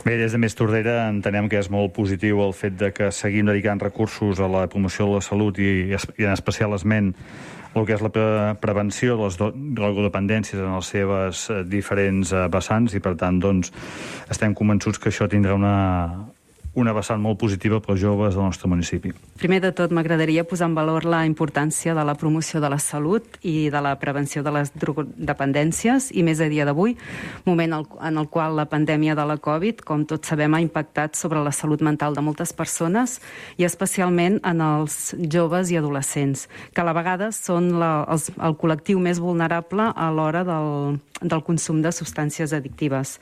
Bé, des de Més Tordera entenem que és molt positiu el fet de que seguim dedicant recursos a la promoció de la salut i en especial esment el que és la prevenció de les drogodependències en les seves diferents vessants i, per tant, doncs, estem convençuts que això tindrà una vessant molt positiva per als joves del nostre municipi. Primer de tot, m'agradaria posar en valor la importància de la promoció de la salut i de la prevenció de les drogodependències, i més a dia d'avui, moment en el qual la pandèmia de la Covid, com tots sabem, ha impactat sobre la salut mental de moltes persones i especialment en els joves i adolescents, que a la vegada són el col·lectiu més vulnerable a l'hora del consum de substàncies addictives.